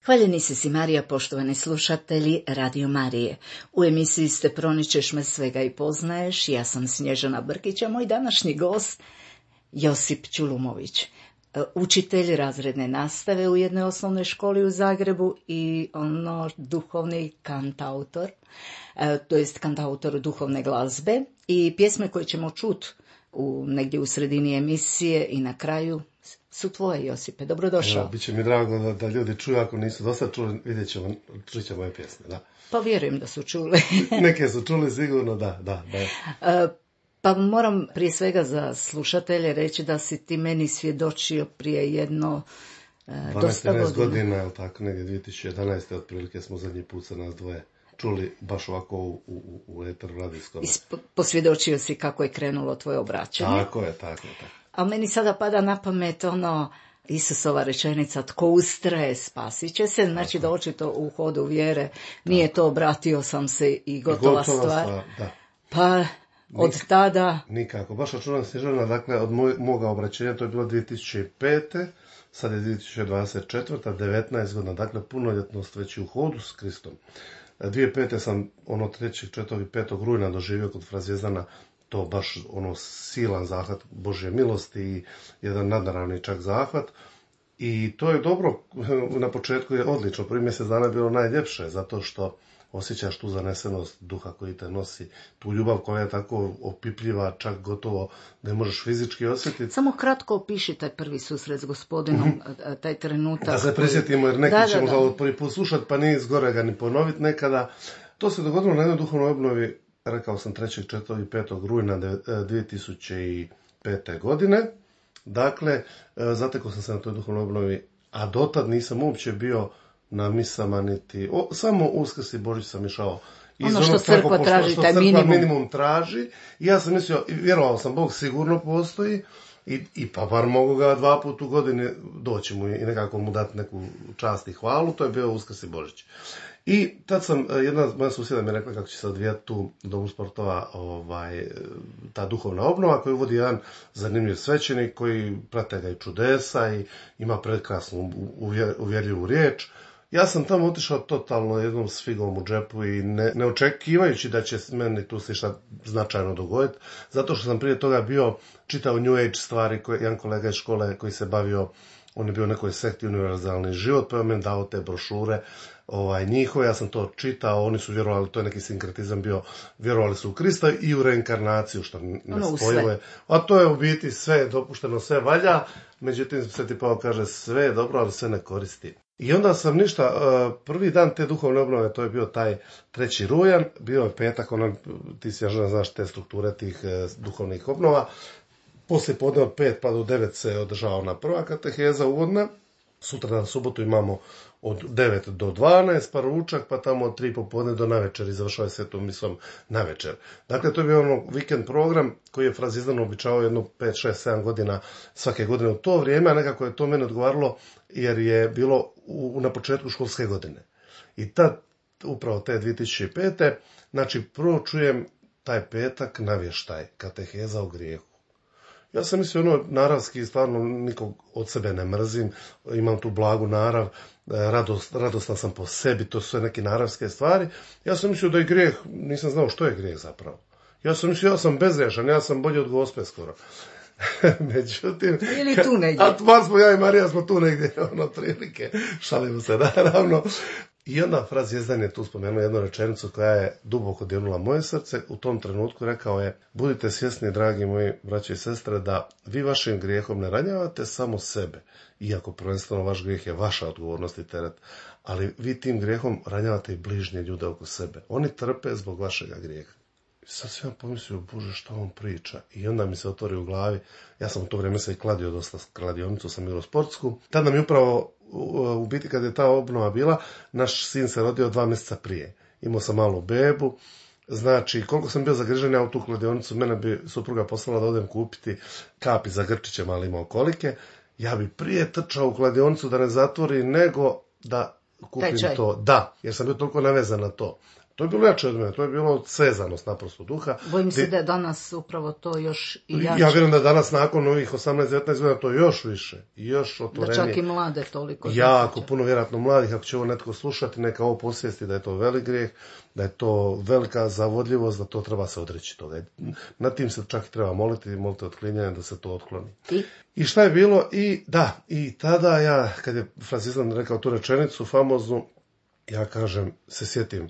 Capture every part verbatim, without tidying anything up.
Hvaljeni si si Marija, poštovani slušatelji Radio Marije. U emisiji ste Proničeš me svega i poznaješ. Ja sam Snježana Brkić, a moj današnji gost Josip Ćulumović, učitelj razredne nastave u jednoj osnovnoj školi u Zagrebu i ono duhovni kantautor, to jest kantautor duhovne glazbe, i pjesme koje ćemo čuti u, negdje u sredini emisije i na kraju su tvoje, Josipe. Dobrodošao. Evo, biće mi drago da, da ljudi čuju, ako nisu dosta čuli, vidjet ćemo, čuće moje pjesme, da. Pa vjerujem da su čuli. Neke su čuli sigurno, da, da, da. Uh, pa moram prije svega za slušatelje reći da si ti meni svjedočio prije jedno uh, dosta godina. dvanaest godina, je tako, negdje dvije tisuće jedanaeste otprilike smo zadnji put sa nas dvoje čuli baš ovako u, u, u eteru radijskom. I posvjedočio si kako je krenulo tvoje obraćanje. Tako je, tako je, tako. A meni sada pada na pamet ono Isusova rečenica, tko ustraje spasit će se, znači da očito u hodu vjere nije to obratio sam se i gotova, gotova stvar. stvar da. Pa od Nik, tada... Nikako, baš računam Snježana, dakle od moj, moga obraćenja, to je bilo dvije tisuće pete. Sad je dvije tisuće dvadeset četvrta. devetnaest godina, dakle punoljetnost već u hodu s Kristom. dvije tisuće pete sam ono trećeg, četvrtog i petog rujna doživio kod Frazjezdana to baš ono silan zahvat Božje milosti i jedan nadnaravni čak zahvat. I to je dobro, na početku je odlično, prvi mjesec dana je bilo najljepše, zato što osjećaš tu zanesenost duha koji te nosi, tu ljubav koja je tako opipljiva, čak gotovo ne možeš fizički osjetiti. Samo kratko opiši taj prvi susret s Gospodinom, mm-hmm. taj trenutak. Da se prisjetimo, jer neki da, ćemo da, da. ga prvi put slušati, pa nije zgore ga ni ponoviti nekada. To se dogodilo na jednoj duhovnoj obnovi, rekao sam trećeg, četvrtog i petog rujna dvije tisuće pete. godine. Dakle, zatekao sam se na toj duhovnoj obnovi, a dotad nisam uopće bio na misama niti, o, samo Uskrs i Božić sam išao iz ono što crkva traži, što taj crkva minimum. minimum traži. I ja sam mislio, vjerovao sam, Bog sigurno postoji i, i pa bar mogu ga dva put u godini doći mu i nekako mu dati neku čast i hvalu. To je bio Uskrs i Božić. I tad sam, jedna moja susjeda mi je rekla kako će se odvijati tu u Domu sportova ovaj, ta duhovna obnova koju vodi jedan zanimljiv svećenik koji prate ga i čudesa i ima prekrasnu uvjerljivu riječ. Ja sam tamo otišao totalno jednom s figom u džepu i ne, ne očekivajući da će meni tu se šta značajno dogoditi, zato što sam prije toga bio čitao New Age stvari, koje, jedan kolega iz škole koji se bavio, on je bio u nekoj sekti Univerzalni život, pa je meni dao te brošure ovaj, njihove, ja sam to čitao, oni su vjerovali, to je neki sinkretizam bio, vjerovali su u Krista i u reinkarnaciju, što nespojilo. A to je u biti sve dopušteno, sve valja, međutim Sveti Pavao kaže sve je dobro, ali sve ne koristi. I onda sam ništa, prvi dan te duhovne obnove, to je bio taj treći rujan, bio je petak, ono, ti si ja znaš te strukture tih duhovnih obnova, poslije podne od pet pa do devet se održava ona prva kateheza uvodna, sutra na subotu imamo od devet do dvanaest, pa ručak, pa tamo od tri popodne do navečer i završava svetom misom navečer. Dakle, to je bio ono vikend program koji je Frazjezdano običavao jedno pet, šest, sedam godina svake godine u to vrijeme, a nekako je to meni odgovaralo jer je bilo u, na početku školske godine. I tad, upravo te dvije tisuće pete. znači prvo čujem taj petak navještaj, kateheza o grijehu. Ja sam mislio, ono, naravski, stvarno nikog od sebe ne mrzim, imam tu blagu narav, radost, radostan sam po sebi, to su sve neke naravske stvari. Ja sam mislio da je grijeh, nisam znao što je grijeh zapravo. Ja sam mislio, ja sam bezgrešan, ja sam bolji od Gospe skoro. Međutim, ili tu negdje. A tvar smo, ja i Marija smo tu negdje, ono, prilike, šalimo se, naravno. I onda Frazjezdan je tu spomenuo jednu rečenicu koja je duboko dirnula moje srce. U tom trenutku rekao je: budite svjesni, dragi moji braći i sestre, da vi vašim grijehom ne ranjavate samo sebe, iako prvenstveno vaš grijeh je vaša odgovornost i teret, ali vi tim grijehom ranjavate i bližnje ljude oko sebe. Oni trpe zbog vašega grijeha. Sad sam ja pomislio, Bože, šta on priča? I onda mi se otvori u glavi, ja sam u to vrijeme se i kladio dosta, kladionicu sam igrao sportsku. Tada nam je upravo, u biti kad je ta obnova bila, naš sin se rodio dva mjeseca prije. Imao sam malu bebu, znači koliko sam bio zagrižen ja u tu kladionicu, mene bi supruga poslala da odem kupiti kapi za grčiće, mali imao kolike. Ja bi prije trčao u kladionicu da ne zatvori, nego da kupim Tečaj. to. Da, jer sam bio toliko navezan na to. To je bilo jače od mene, to je bilo svezanost naprosto duha. Bojim se Ti- da je danas upravo to još i jače. Ja vjerujem da danas nakon ovih osamnaest devetnaest godina to još više, još Da otvorenije. čak i mlade toliko. Jako zaključa. puno vjerojatno mladih, ako će ovo netko slušati, neka ovo posvijesti da je to velik grijeh, da je to velika zavodljivost, da to treba se odreći toga. Nad tim se čak i treba moliti, molite otklinjanje da se to otkloni. I I šta je bilo? I da, i tada ja, kad je Franciscan rekao tu rečenicu famoznu, ja kažem, se sjetim,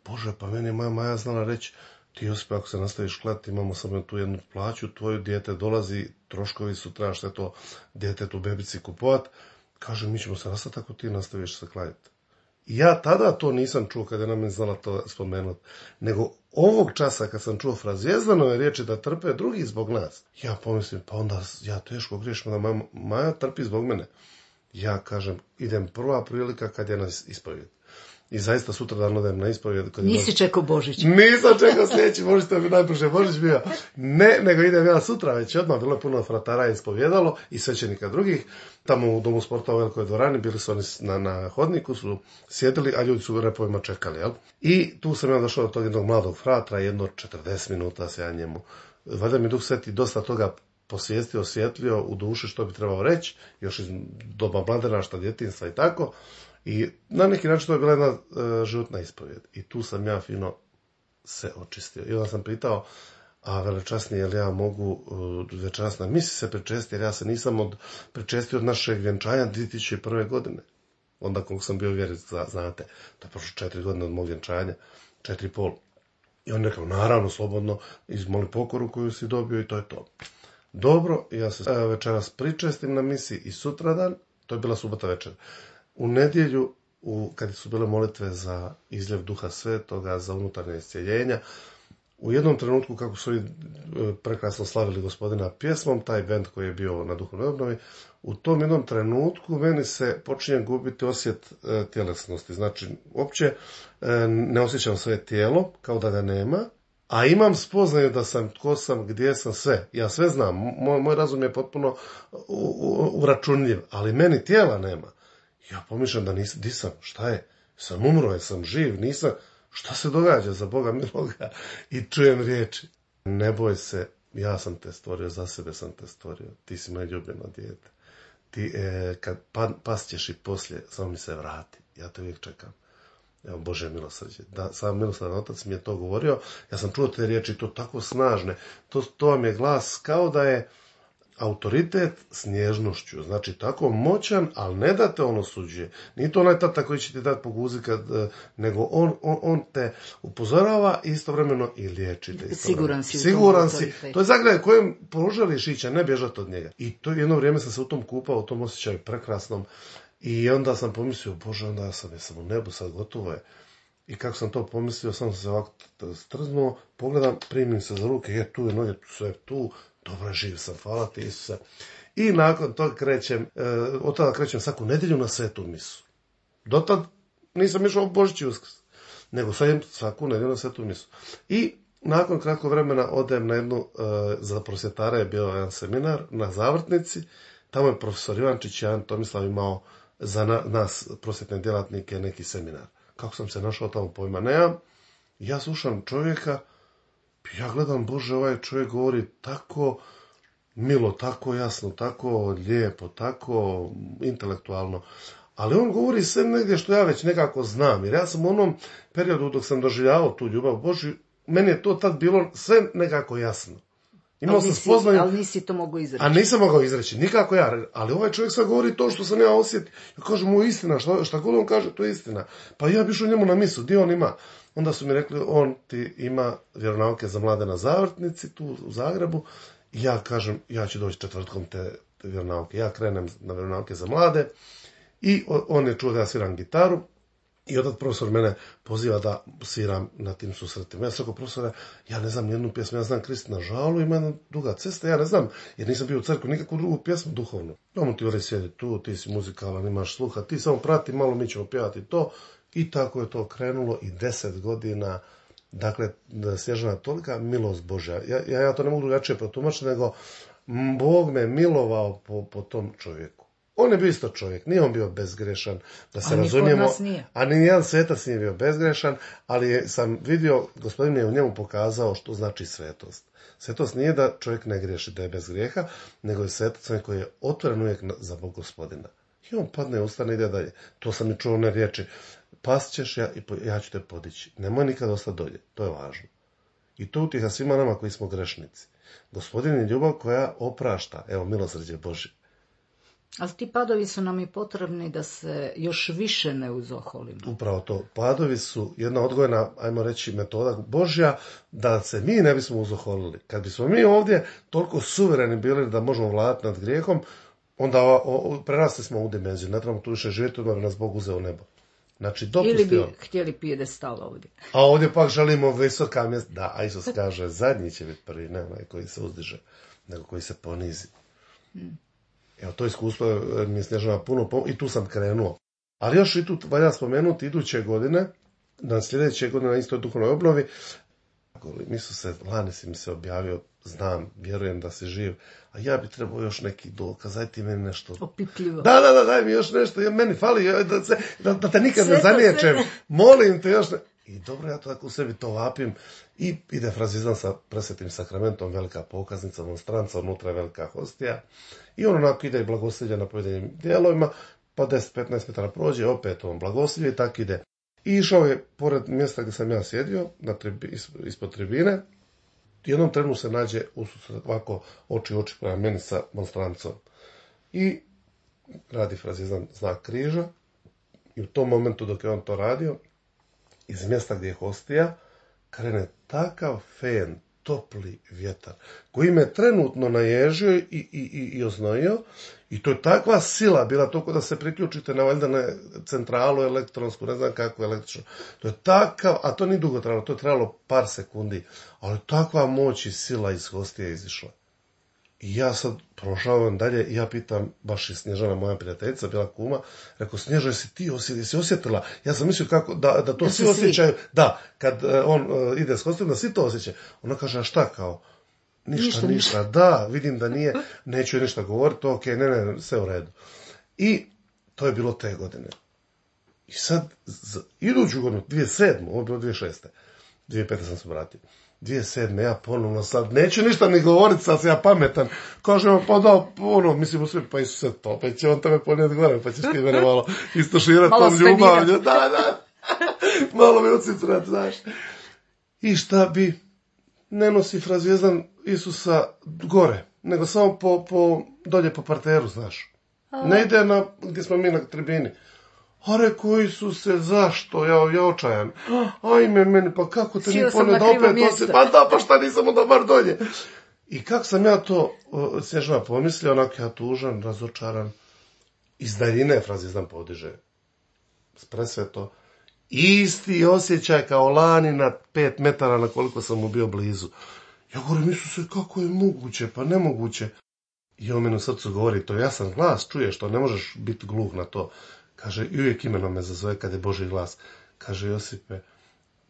Bože, pa meni je moja Maja znala reći, ti Josip, ako se nastaviš klati, imamo samo tu jednu plaću, tvoje dijete dolazi, troškovi su, trebaš sve to djetetu, bebici kupovat. Kaže, mi ćemo se nastati ako ti nastaviš se kladiti. I ja tada to nisam čuo kad je nam je znala to spomenuti. Nego ovog časa kad sam čuo frazjezdano riječi da trpe drugi zbog nas, ja pomislim, pa onda ja teško griješim da Maja, Maja trpi zbog mene. Ja kažem, idem prva prilika kad je na ispovjed. I zaista sutra dan odem na ispovjed. Kad je nisi čekao Božić. Nisam čekao sljedeći Božić, to je najbrže Božić bio. Ne, nego idem ja sutra već odmah, bilo je puno fratara ispovjedalo i svećenika drugih. Tamo u Domu sporta u velikoj dvorani, bili su oni na, na hodniku, su sjedili, a ljudi su u repovima čekali, jel? I tu sam ja došao do tog jednog mladog fratra, jedno četrdeset minuta se ja njemu. Valjda mi Duh Sveti dosta toga posvijestio, osvjetlio u duši što bi trebao reći, još iz doba mladenaštva, djetinjstva i tako. I na neki način to je bila jedna e, životna ispovjed. I tu sam ja fino se očistio. I onda sam pitao, a velečasni, jel ja mogu uh, večeras na misi se pričestiti, jer ja se nisam od, pričestio od našeg vjenčanja dvije tisuće prve. godine. Onda koliko sam bio vjeric, znate, to je prošlo četiri godine od mog vjenčanja, četiri i pol. I on rekao, naravno, slobodno, izmoli pokoru koju si dobio i to je to. Dobro, ja se e, večeras pričestim na misi i sutradan, to je bila subota večer. U nedjelju, u, kad su bile molitve za izljev Duha Svetoga, za unutarnje iscjeljenja, u jednom trenutku, kako su oni prekrasno slavili Gospodina pjesmom, taj bend koji je bio na duhovnoj obnovi, u tom jednom trenutku meni se počinje gubiti osjet e, tjelesnosti. Znači, uopće e, ne osjećam svoje tijelo, kao da ga nema, a imam spoznaju da sam, tko sam, gdje sam, sve. Ja sve znam, moj, moj razum je potpuno uračunljiv, ali meni tijela nema. Ja pomišljam da nisam, di sam, šta je, sam umro, jesam živ, nisam, šta se događa za Boga miloga? I čujem riječi, ne boj se, ja sam te stvorio, za sebe sam te stvorio, ti si moje ljubljeno dijete. Ti, e, kad pa, pasćeš i poslije, samo mi se vrati, ja te uvijek čekam. Evo, Bože milosrđe. Da, sam milosrdan otac mi je to govorio, ja sam čuo te riječi, to tako snažne, to, to vam je glas kao da je autoritet s nježnošću, znači tako moćan, ali ne da te on osuđuje. Nije to onaj tata koji će ti dati po guzi, kad, nego on, on, on te upozorava i istovremeno i liječi te. Siguran si. Siguran si. To je zagraj kojem poželiš ići, a ne bježati od njega. I to jedno vrijeme sam se u tom kupao, u tom osjećaju prekrasnom. I onda sam pomislio, Bože, onda ja sam, ja sam u nebu, sad gotovo je. I kako sam to pomislio, sam se ovako strznuo, pogledam, primim se za ruke, je tu je noge, sve tu, dobro, živ sam, hvala ti Isuse. I nakon toga krećem, e, od tada krećem svaku nedjelju na svetu misu. Dotad nisam išao u Božić i Uskrs, nego sad idem svaku nedjelju na svetu misu. I nakon kratkog vremena odem na jednu, e, za prosvjetara je bio jedan seminar na Zavrtnici, tamo je profesor Ivančić, Jan Tomislav imao za na, nas, prosvjetne djelatnike, neki seminar. Kako sam se našao tamo, pojma nemam. Ja slušam čovjeka, ja gledam, Bože, ovaj čovjek govori tako milo, tako jasno, tako lijepo, tako intelektualno. Ali on govori sve negdje što ja već nekako znam. Jer ja sam u onom periodu dok sam doživljavao tu ljubav Božju, meni je to tad bilo sve nekako jasno. Imao ali, sam nisi, spoznaju, ali nisi to mogao izreći. A nisam mogao izreći, nikako ja. Ali ovaj čovjek sad govori to što sam ja osjetio. Ja kažem mu istina, šta, šta god on kaže, to je istina. Pa ja bi išao njemu na misu, gdje on ima? Onda su mi rekli, on ti ima vjeronauke za mlade na Zavrtnici, tu u Zagrebu. I ja kažem, ja ću doći četvrtkom te, te vjeronauke. Ja krenem na vjeronauke za mlade. I on je čuo da ja sviram gitaru. I onda profesor mene poziva da sviram na tim susretima. Ja sam rekao, profesore, ja ne znam nijednu pjesmu, ja znam Krist na žalu, ima jedna duga cesta, ja ne znam, jer nisam bio u crkvi, nikakvu drugu pjesmu duhovnu. Ono ti ori sjedi tu, ti si muzikalan, imaš sluha, ti samo prati, malo mi ćemo pjevati to. I tako je to krenulo i deset godina, dakle, Snježana, tolika milost Božja. Ja, ja, ja to ne mogu drugačije protumačiti, nego Bog me milovao po, po tom čovjeku. On je bio isto čovjek, nije on bio bezgrešan, da se a razumijemo, a ni jedan svetac nije bio bezgrešan, ali je, sam vidio, gospodin je u njemu pokazao što znači svetost. Svetost nije da čovjek ne griješi, da je bez grijeha, nego je svetac koji je otvoren uvijek za Bog gospodina. I on padne, ustane, ide dalje. To sam i čuo one riječi, past ćeš ja i ja ću te podići. Nemoj nikad ostati dolje, to je važno. I to utjeha svima nama koji smo grešnici. Gospodin je ljubav koja oprašta, evo milosrđe Božje. Ali ti padovi su nam i potrebni da se još više ne uzoholimo. Upravo to. Padovi su jedna odgojna, ajmo reći, metoda Božja da se mi ne bismo uzoholili. Kad bismo mi ovdje toliko suvereni bili da možemo vladati nad grijehom, onda o, o, prerasli smo u dimenziju. Ne trebamo tu više živjeti, da bi nas Bog uzeo u nebo. Znači, dopusti ili bi on. htjeli pijedestal ovdje. A ovdje pak želimo visoka mjesta. Da, a Isus kaže, zadnji će biti prvi, ne onaj koji se uzdiže, nego koji se ponizi. Hmm. Evo, to iskustvo mi je Snježana puno pom- i tu sam krenuo. Ali još i tu valja spomenuti iduće godine, na sljedeće godine na istoj duhovnoj obnovi, mi su se, lani si mi se objavio, znam, vjerujem da si živ, a ja bi trebao još neki dokaz, daj ti meni nešto. Opipljivo. Da, da, da, daj mi još nešto, ja, meni fali, da, se, da, da te nikad sve ne zaniječem, molim te još ne... I dobro, ja to tako u sebi to vapim i ide frazizam sa presvetim sakramentom, velika pokaznica, monstranca, unutra je velika hostija i on onako ide i blagoslivlja na pojedinim dijelovima, pa deset do petnaest metara prođe, opet on blagoslivlja i tako ide. I išao je pored mjesta gdje sam ja sjedio, na tribi, ispod tribine, i jednom trenu se nađe ususret ovako oči oči prema meni sa monstrancom. I radi frazizam znak križa i u tom momentu dok je on to radio, iz mjesta gdje je hostija, krene takav fen, topli vjetar, koji me trenutno naježio i, i, i, i oznojio, i to je takva sila bila toliko da se priključite na valjda na centralu elektronsku, ne znam kako električnu. To je takav, a to nije dugo trajalo, to je trajalo par sekundi, ali takva moć i sila iz hostije izišla. I ja sad prošavam dalje i ja pitam, baš i Snježana, moja prijateljica, bila kuma, rekao, Snježa, jesi ti osjetila, jesi osjetila? Ja sam mislio kako, da, da to da svi osjećaju, svi. Da, kad uh, on uh, ide s hostijom, da svi to osjećaju. Ona kaže, a šta kao? Ništa, ništa, ništa. Da, vidim da nije, neću je ništa govoriti, ok, ne, ne, sve u redu. I to je bilo te godine. I sad, z, iduću godinu, dvije tisuće sedme, ovo je bilo dvije tisuće šeste, dvije tisuće pete sam se vratio. dvije tisuće sedme ja ponovno sad, neću ništa ni govoriti, sad sam ja pametan. Kažem, pa da, ono, mislim u sve, pa Isuse, pa opet će on tebe ponijeti gore, pa ćeš ti mene malo istoširati tom ljubavlju. Da, da, malo mi ucitrat, znaš. I šta bi, ne nosi frazvijezdan Isusa gore, nego samo po, po, dolje po parteru, znaš. Ne ide na, gdje smo mi na tribini. A rekao, Isuse, zašto? Ja, ja očajan. Ajme meni, pa kako te ni ponio da opet nosi? Pa da, pa šta nisam onda bar dolje? I kako sam ja to, uh, Snježana pomislio, onak ja tužan, razočaran, iz daljine frazizam podiže. Presveto. Isti osjećaj kao lani na pet metara na koliko sam mu bio blizu. Ja govorim, Isuse, kako je moguće? Pa nemoguće. I on meni u srcu govori, to jasan glas, čuješ to, ne možeš biti gluh na to. Kaže, i uvijek imenom me zazove kad je Božji glas. Kaže, Josipe,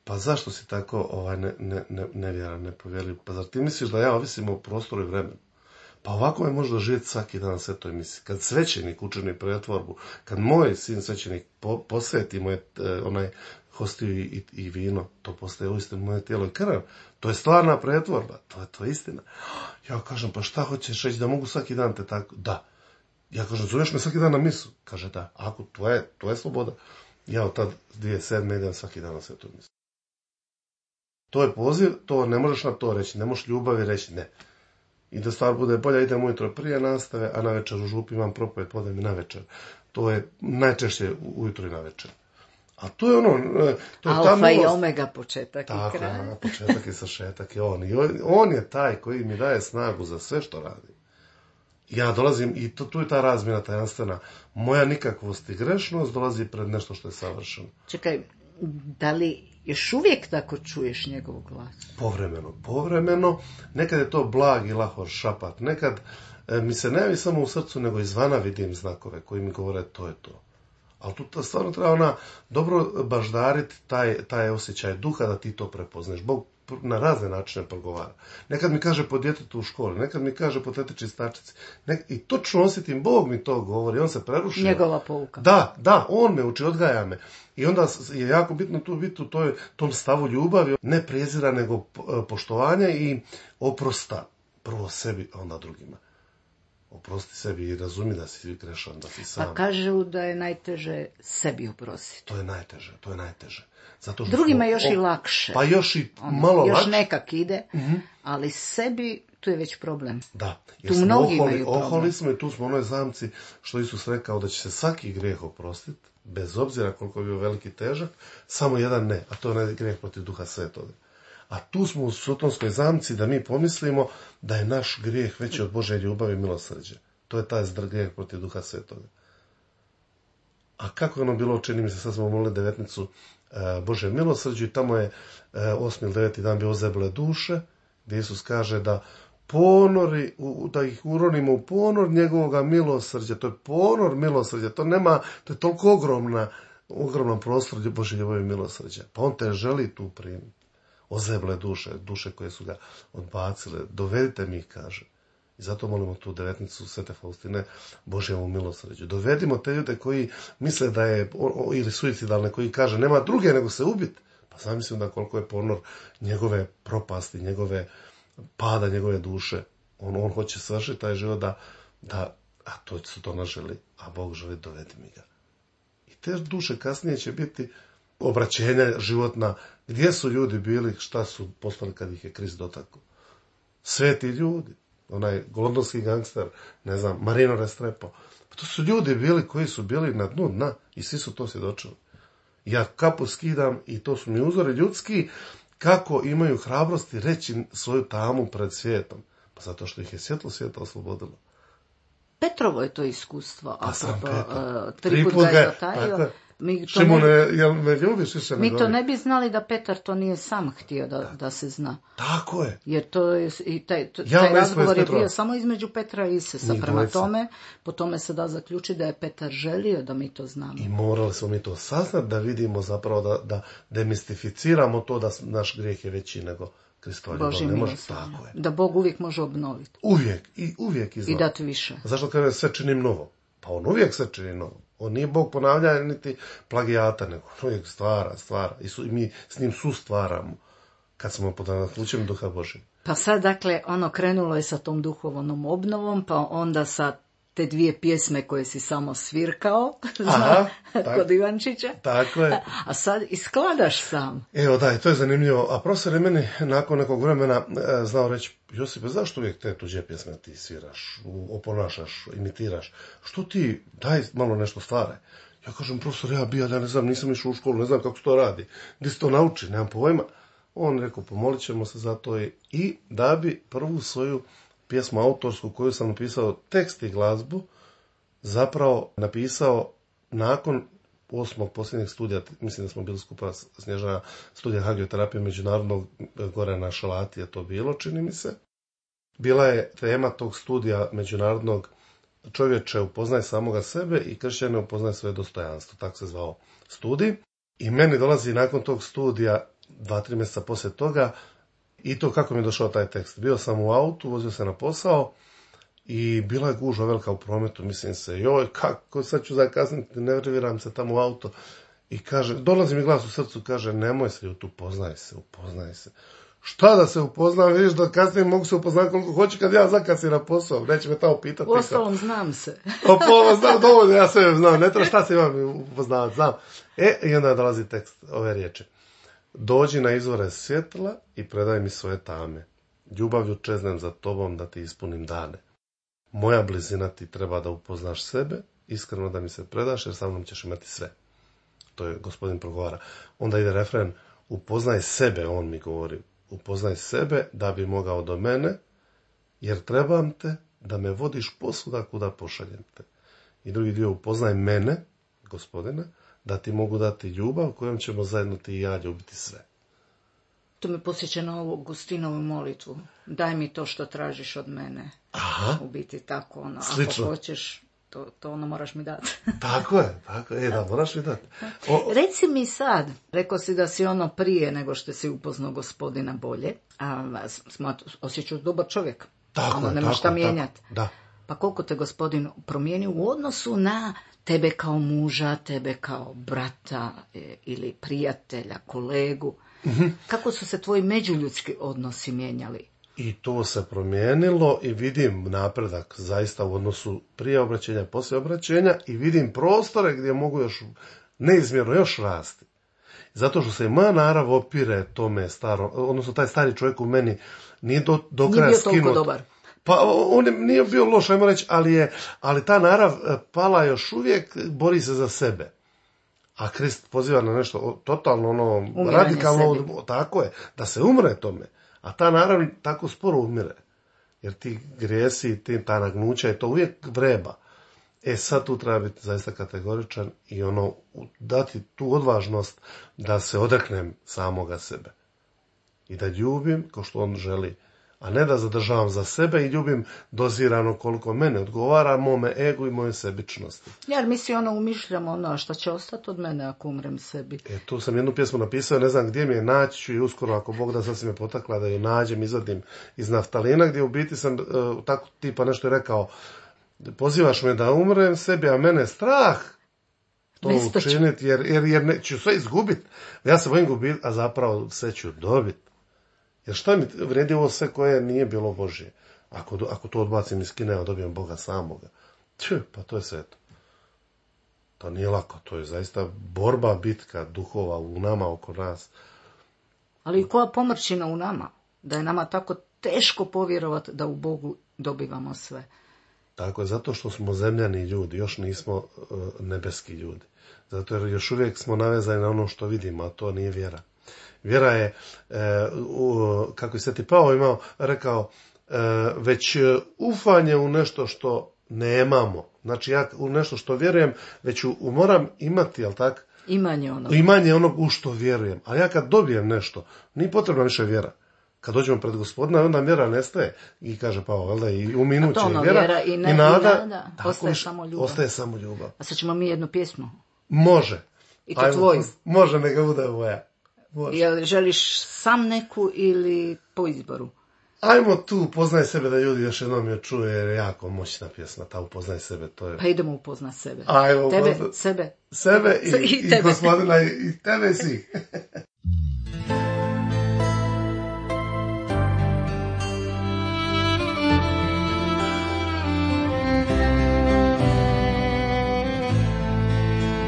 pa zašto si tako ovaj, ne, ne, ne, nevjeran, nepovjerljiv? Pa zar ti misliš da ja ovisim o prostoru i vremenu? Pa ovako me može doživjeti svaki dan na svetoj misiji. Kad svećenik učini pretvorbu, kad moj sin svećenik po, posveti moje, onaj hostiju i, i, i vino, to postaje uistinu moje tijelo i krv. To je stvarna pretvorba, to je to istina. Ja kažem, pa šta hoćeš reći, da mogu svaki dan te tako? Da. Ja kažem, zoveš me svaki dan na misu? Kaže, da. Ako tvoje, tvoje sloboda. Ja od tad dvije tisuće sedme idem svaki dan na svetu misu. To je poziv, to ne možeš na to reći, ne možeš ljubavi reći, ne. I da stvar bude bolja, idem ujutro prije nastave, a na večer u župi imam propovjed, podem i na večer. To je najčešće ujutro i na večer. A to je ono... To je alfa ta i omega, početak tako, i kraj. Tako, početak i sašetak je on. I on. On je taj koji mi daje snagu za sve što radi. Ja dolazim, i to, tu je ta razmjena tajanstvena. Moja nikakvost i grešnost dolazi pred nešto što je savršeno. Čekaj, da li još uvijek tako čuješ njegov glas? Povremeno, povremeno. Nekad je to blag i lahor šapat. Nekad e, mi se ne javi samo u srcu, nego izvana vidim znakove koji mi govore to je to. Ali tu stvarno treba ona dobro baždariti taj, taj osjećaj duha da ti to prepoznaš. Bog na razne načine progovara. Nekad mi kaže po djetetu u školi, nekad mi kaže po teti čistačici. Nek- I točno osjetim, Bog mi to govori, on se prerušio. Njegova pouka. Da, da, on me uči, odgaja me. I onda je jako bitno tu biti u toj, tom stavu ljubavi, ne prezira, nego poštovanja i oprosta. Prvo sebi, a onda drugima. Oprosti sebi i razumi da si grešan, da si sam. Pa kažu da je najteže sebi oprostiti. To je najteže, to je najteže. Zato što Drugima smo, još o, i lakše. Pa još i ono, malo još lakše. nekak ide, Mm-hmm. ali sebi tu je već problem. Da, Tu mnogi oholi, imaju problem. oholi smo i tu smo u onoj zamci što Isus rekao da će se svaki grijeh oprostiti, bez obzira koliko je bio veliki težak, samo jedan ne, a to je onaj grijeh protiv Duha Svetoga. A tu smo u sotonskoj zamci da mi pomislimo da je naš grijeh veći od Božje ljubavi i milosrđe. To je taj grijeh protiv Duha Svetoga. A kako je ono bilo, čini mi se, sad smo molili devetnicu e, Božje milosrđe i tamo je e, osmi ili deveti dan bio ozeble duše, gdje Isus kaže da ponori, u, da ih uronimo u ponor njegovoga milosrđa. To je ponor milosrđa, to nema, to je toliko ogromna, ogroman prostor Božje ljubavi i milosrđa. Pa on te želi tu primiti. Ozeble duše, duše koje su ga odbacile, dovedite mi ih, kaže. I zato molimo tu devetnicu Svete Faustine Božjemu milosrđu. Dovedimo te ljude koji misle da je, o, ili suicidalne, koji kaže nema druge nego se ubiti. Pa zamislim da koliko je ponor njegove propasti, njegove pada, njegove duše. On, on hoće svršiti taj život da, da a to su to naželi, a Bog želi dovedi mi ga. I te duše kasnije će biti obraćenja životna, gdje su ljudi bili, šta su postali kad ih je Krist dotakao. Sveti ljudi, onaj londonski gangster, ne znam, Marino Restrepo. Pa to su ljudi bili koji su bili na dnu dna i svi su to svjedočili. Ja kapu skidam i to su mi uzori ljudski kako imaju hrabrosti reći svoju tamu pred svijetom. Pa zato što ih je svjetlo svijeta oslobodilo. Petrovo je to iskustvo. Pa sam Petar. Uh, tri put ga je dotajio. Mi to, Šimone, ne, jel me ljubiš više mi to ne bi znali da Petar to nije sam htio da, da se zna. Tako je. Jer to je, i taj, to, Ja taj ne razgovor je Petrova. bio samo između Petra i Isusa. Njih Prema dvojica. tome, po tome se da zaključiti da je Petar želio da mi to znamo. I morali smo mi to saznati da vidimo zapravo da, da demistificiramo to da naš grijeh je veći nego Kristova ljubav. Božje Ne može, milosrđe. tako je. Da Bog uvijek može obnoviti. Uvijek i uvijek I izgleda. dati više. Zašto kaže sve činim novo? Pa on uvijek sve čini novo. On nije Bog ponavljanja niti plagijata, nego on uvijek stvara, stvara. I, su, i mi s njim sustvaramo kad smo pod nadahnućem Duha Božjeg. Pa sad, dakle, ono krenulo je sa tom duhovnom obnovom, pa onda sa te dvije pjesme koje si samo svirkao, Aha, kod tak, Ivančića. tako je. A sad iskladaš sam. Evo da, i to je zanimljivo. A profesor je meni nakon nekog vremena e, znao reći, Josipe, zašto uvijek te tuđe pjesme ti sviraš, oponašaš, imitiraš? Što ti, daj malo nešto stvaraj. Ja kažem, profesor, ja bija, ja ne znam, nisam išao u školu, ne znam kako se to radi. Gdje se to nauči, nemam pojma. On rekao, pomolit ćemo se za to i, i da bi prvu svoju pjesmu autorsku koju sam napisao tekst i glazbu, zapravo napisao nakon osmog posljednjeg studija, mislim da smo bili skupa Snježana, studija hagioterapije međunarodnog, gore na Šalati je to bilo, čini mi se. Bila je tema tog studija međunarodnog čovječe upoznaj samoga sebe i kršćane upoznaj svoje dostojanstvo, tako se zvao studij. I meni dolazi nakon tog studija, dva, tri mjeseca poslije toga, i to kako mi je došao taj tekst. Bio sam u autu, vozio se na posao i bila je gužva velika u prometu, mislim se, joj, kako sad ću zakasniti, nerviram se tamo u auto. I kaže, dolazi mi glas u srcu, kaže, nemoj se ljut, upoznaj se, upoznaj se. Šta da se upoznam, vidiš da kasnije mogu se upoznati koliko hoću kad ja zakasnim na posao, neće me tamo pitati. U ostalom znam se. O pola znam, dovoljno, ja sve znam, ne treba šta se imam upoznavati, znam. E, i onda dolazi tekst ove riječi. Dođi na izvore svjetla i predaj mi svoje tame. Ljubavlju čeznem za tobom da ti ispunim dane. Moja blizina ti treba da upoznaš sebe, iskreno da mi se predaš jer sa mnom ćeš imati sve. To je gospodin progovara. Onda ide refren, upoznaj sebe, on mi govori. Upoznaj sebe da bi mogao do mene, jer trebam te da me vodiš posvuda kuda pošaljem te. I drugi dio, upoznaj mene, Gospodine, da ti mogu dati ljubav kojom ćemo zajedno ti i ja ljubiti sve. To me posjeća na ovu Augustinovu molitvu. Daj mi to što tražiš od mene. Aha. U biti tako, ono, Slično. ako hoćeš, to, to ono moraš mi dati. Tako je, tako je, da, moraš mi dati. O, Reci mi sad, rekao si da si ono prije nego što si upoznao Gospodina bolje, a osjećaš dobar čovjek. tako ono, je, nemaš tako šta je, mijenjati. tako, da. Pa koliko te Gospodin promijenio u odnosu na tebe kao muža, tebe kao brata e, ili prijatelja, kolegu? Mm-hmm. Kako su se tvoji međuljudski odnosi mijenjali? I to se promijenilo i vidim napredak zaista u odnosu prije obraćenja, poslije obraćenja i vidim prostore gdje mogu još neizmjerno još rasti. Zato što se i moja narav opire tome staro, odnosno taj stari čovjek u meni nije do, do kraja skinut. Nije bio toliko dobar. Pa on je, nije bio loš, ajmo reći, ali, je, ali ta narav pala još uvijek, bori se za sebe. A Krist poziva na nešto totalno ono Umiranje radikalno, sebi. tako je, da se umre tome. A ta narav tako sporo umire. Jer ti grijesi, ti, ta nagnuća je to uvijek vreba. E sad tu treba biti zaista kategoričan i ono dati tu odvažnost da se odreknem samoga sebe. I da ljubim kao što on želi. A ne da zadržavam za sebe i ljubim dozirano koliko mene odgovara, mome egu i moje sebičnosti. Jer mi si ono umišljamo ono, šta će ostati od mene ako umrem sebi. E, tu sam jednu pjesmu napisao, ne znam gdje mi je, naći ću i uskoro, ako Bog da, sad si me potakla da ju nađem, izvadim iz naftalina, gdje u biti sam uh, tako tipa nešto je rekao, pozivaš me da umrem sebi, a mene strah to učiniti, jer, jer, jer ne, ću sve izgubiti. Ja se bojim gubiti, a zapravo sve ću dobiti. Jer šta mi vredi ovo sve koje nije bilo Božje? Ako, ako to odbacim iz kine, dobijem Boga samoga. Če, pa to je sve to. To nije lako, to je zaista borba, bitka duhova u nama, oko nas. Ali koja pomrčina u nama? Da je nama tako teško povjerovati da u Bogu dobivamo sve. Tako je, zato što smo zemljani ljudi, još nismo uh, nebeski ljudi. Zato jer još uvijek smo navezani na ono što vidimo, a to nije vjera. Vjera je, e, u, kako je Sveti Pavao imao, rekao, e, već ufanje u nešto što nemamo. Znači ja u nešto što vjerujem, već u, u moram imati, jel tak? Imanje onog. Imanje onog u što vjerujem. A ja kad dobijem nešto, nije potrebna više vjera. Kad dođemo pred Gospodina, onda vjera nestaje. I kaže Pavao, jel da, i u minuće ono, vjera, vjera i, ne, i nada, i nada. tako, ostaje samo ljubav. Ostaje samo ljubav. A sad ćemo mi jednu pjesmu. Može. I to tvoju. Može, neka bude moja. Jel želiš sam neku ili po izboru? Ajmo tu, upoznaj sebe, da ljudi još jednom je čuje, jer je jako moćna pjesma, ta upoznaj sebe, to je... Pa idemo upoznat sebe. Ajmo, tebe, upozna... sebe. Sebe i, i, i, tebe. i Gospodina, i tebe svih.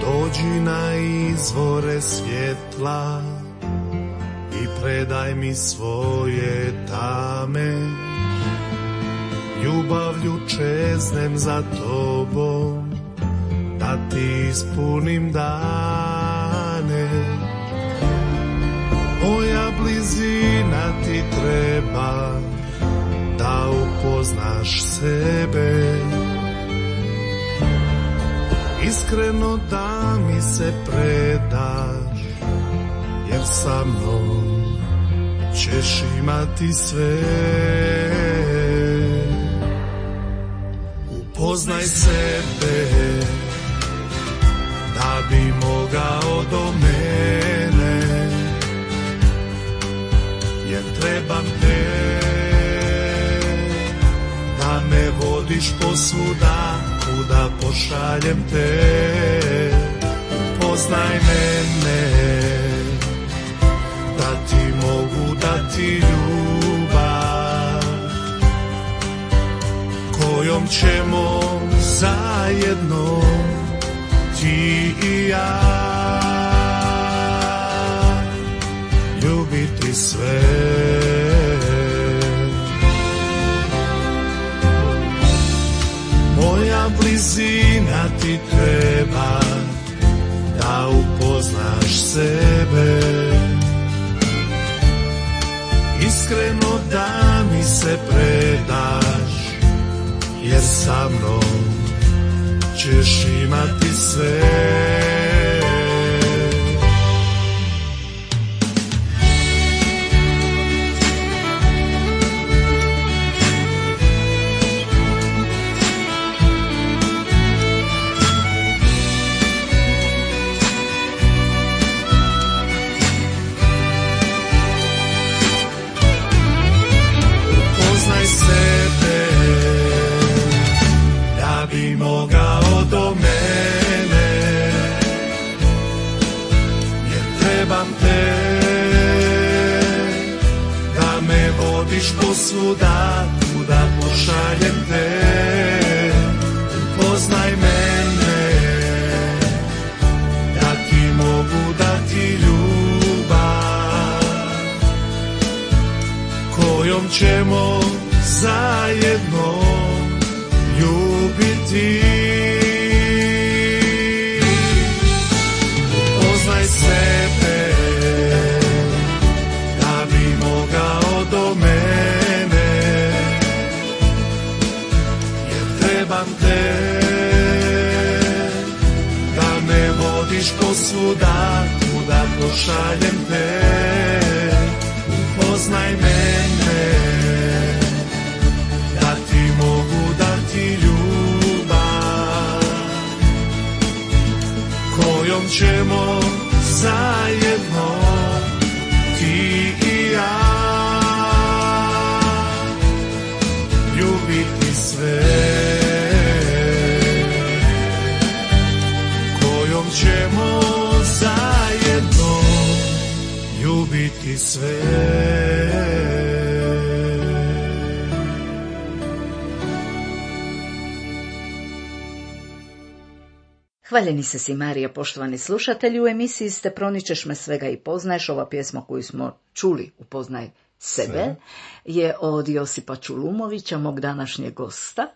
Dođi na izvore svjetla i predaj mi svoje tame. Ljubavlju čeznem za tobom, da ti ispunim dane. Moja blizina ti treba, da upoznaš sebe. Iskreno da mi se predaš, jer sa mnom ćeš imati sve. Upoznaj sebe, da bi mogao do mene, jer trebam te, da me vodiš posvuda, kuda pošaljem te. Upoznaj mene, da ti mogu dati ljubav, kojom ćemo zajedno ti i ja ljubiti sve. Moja blizina ti treba, da upoznaš sebe. Iskreno da mi se predaš, jer sa mnom ćeš imati sve. Mogao do mene, jer trebam te, da me vodiš posvuda, kuda pošaljem te. Upoznaj mene, da ti mogu dati ljubav, kojom ćemo zajedno ljubiti. Upoznaj sebe, da bi mogao do mene, jer trebam te, da me vodiš posvuda, kuda pošaljem te. Upoznaj mene, da ti mogu dati ljubav, kojom ćemo zajedno ti i ja ljubiti sve, kojom ćemo zajedno ljubiti sve. Hvaljeni se si Marija, poštovani slušatelji, u emisiji ste Proničeš me svega i poznaješ. Ova pjesma koju smo čuli, Upoznaj sebe, Sve. je od Josipa Čulumovića, mog današnjeg gosta.